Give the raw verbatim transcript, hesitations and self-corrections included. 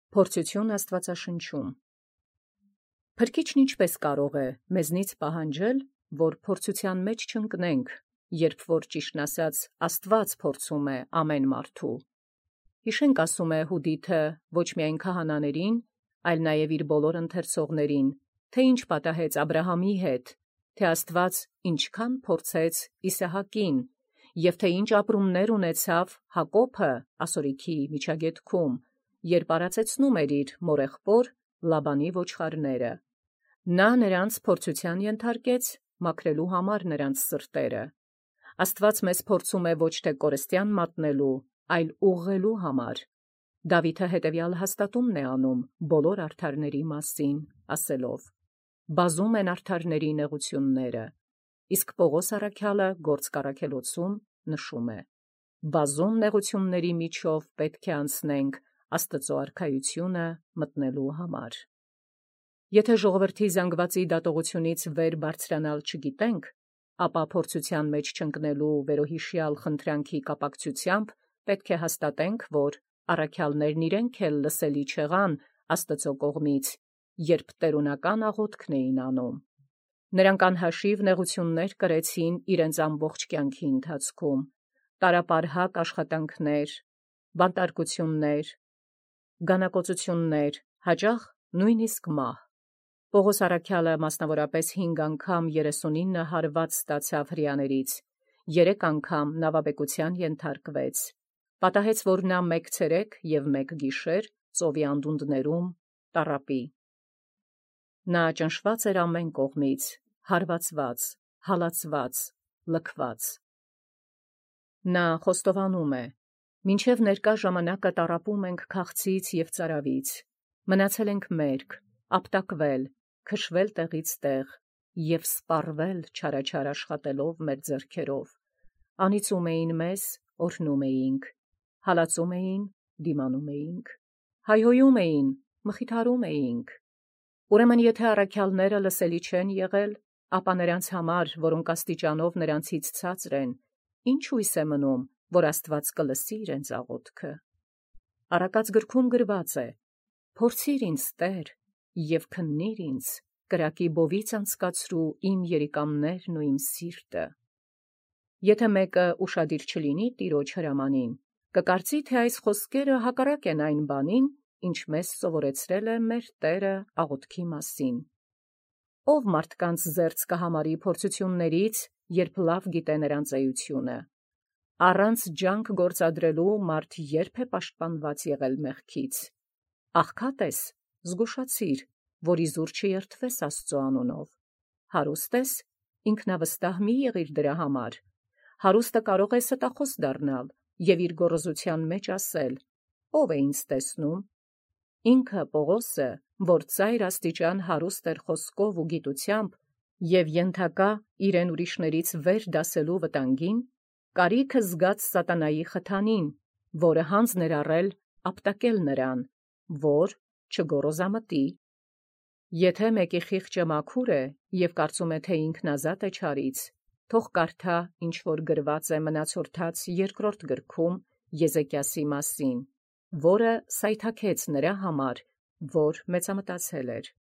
Փորձություն Աստվածաշնչում։ Փրկիչն ինչպէս կարող է մեզնից պահանջել, որ փորձության մեջ չընկնենք, երբ որ ճիշտն ասած Աստված փորձում է ամեն մարդու։ Հիշենք ասում է Հուդիթը ոչ միայն քահանաներին, այլ նաև իր բոլոր ընթերցողներին, թե ինչ պատահեց Աբրահամի հետ, թե Աստված ինչքան փորձեց Իսահակին, և թե ինչ ապրումներ ունեցավ Հակոբը ասորիքի միջագետքում, երբ արածեցնում էր իր մորեղբոր Լաբանի ոչխարները։ Նա նրանց փորձության ենթարկեց, մաքրելու համար նրանց սրտերը։ Աստված մեզ փորձում է ոչ թե կորստյան մատնելու, այլ ուղղելու համար։ Դավիթը հետևյալ հաստատումն է անում բոլոր արդարների մասին, ասելով. «Բազում են արդարների նեղությունները», իսկ Պողոս առաքյալը Գործք առաքելոցում նշում է. «Բազում նեղությունների միջով պետք է անցնենք Աստծո արքայությունը մտնելու համար»։ Եթե ժողովրդի զանգվածի դատողությունից վեր բարձրանալ չգիտենք, ապա փորձության մեջ չընկնելու վերոհիշյալ խնդրանքի կապակցությամբ պետք է հաստատենք, որ առաքյալներն իրենք էլ լսելի չեղան Աստծո կողմից, երբ տերունական աղոթքն էին անում։ Նրանք անհաշիվ նեղություններ կրեցին իրենց ամբողջ կյանքի ընթացքում, տարապարհակ աշխատանքներ, բանտարկություններ, գանակոծություններ, հաճախ նույնիսկ մահ։ Պողոս առաքյալը մասնավորապես հինգ անգամ երեսունինը հարված ստացավ հրեաներից, երեք անգամ նավաբեկության ենթարկվեց, պատահեց, որ նա մեկ ցերեկ և մեկ գիշեր ծովի անդունդներում տառապի։ Նա ճնշված էր ամեն կողմից, հարվածված, հալածված, լքված։ Նա խոստովանում է. «Մինչև ներկա ժամանակը տառապում ենք քաղցից և ծարավից, մնացել ենք մերկ, ապտակվել, քշվել տեղից տեղ և սպառվել չարաչար աշխատելով մեր ձեռքերով. անիծում էին մեզ, օրհնում էինք, հալածում էին, դիմանում էինք, հայհոյում էին, մխիթարում էինք։ Ուրեմն եթե առաքյալները լսելի չեն եղել, ապա նրանց համար, որոնք աստիճանով նրանցից ցածր են, ի՞նչ հույս է մնում, որ Աստված կլսի իրենց աղոթքը։ Առակաց գրքում գրված է. «Փորձիր ինձ, Տեր, և քննիր ինձ, կրակի բովից անցկացրու իմ երիկամներն ու իմ սիրտը»։ Եթե մեկը ուշադիր չլինի Տիրոջ հրամանին, կկարծի, թե այս խոսքերը հակառակ են այն բանին, ինչ մեզ սովորեցրել է մեր Տերը աղոթքի մասին։ Ո՞վ մարդկանց զերծ կհամարի փորձություններից, երբ լավ գիտե նրանց էությունը։ Առանց ջանք գործադրելու մարդ ե՞րբ է պաշտպանված եղել մեղքից։ Աղքատ ես, զգուշացիր, որ իզուր չերթվես Աստծո անունով։ Հարուստ ես, ինքնավստահ մի եղիր դրա համար։ Հարուստը կարող է ստախոս դառնալ և իր գոռոզության մեջ ասել. «Ո՞վ է ինձ տեսնում»։ Ինքը Պողոսը, որ ծայր աստիճան հարուստ էր խոսքով ու գիտությամբ և ենթակա իրեն ուրիշներից վեր դասելու վտանգին, կարիքը զգաց սատանայի խթանին, որը հանձն էր առել ապտակել նրան, որ չգոռոզամտի։ Եթե մեկի խիղճը մաքուր է և կարծում է, թե ինքն ազատ է չարից, թող կարդա, ինչ որ գրված է Մնացորդաց երկրորդ գրքում Եզեկիասի մասին, որը սայթաքեց նրա համար, որ մեծամտածել էր։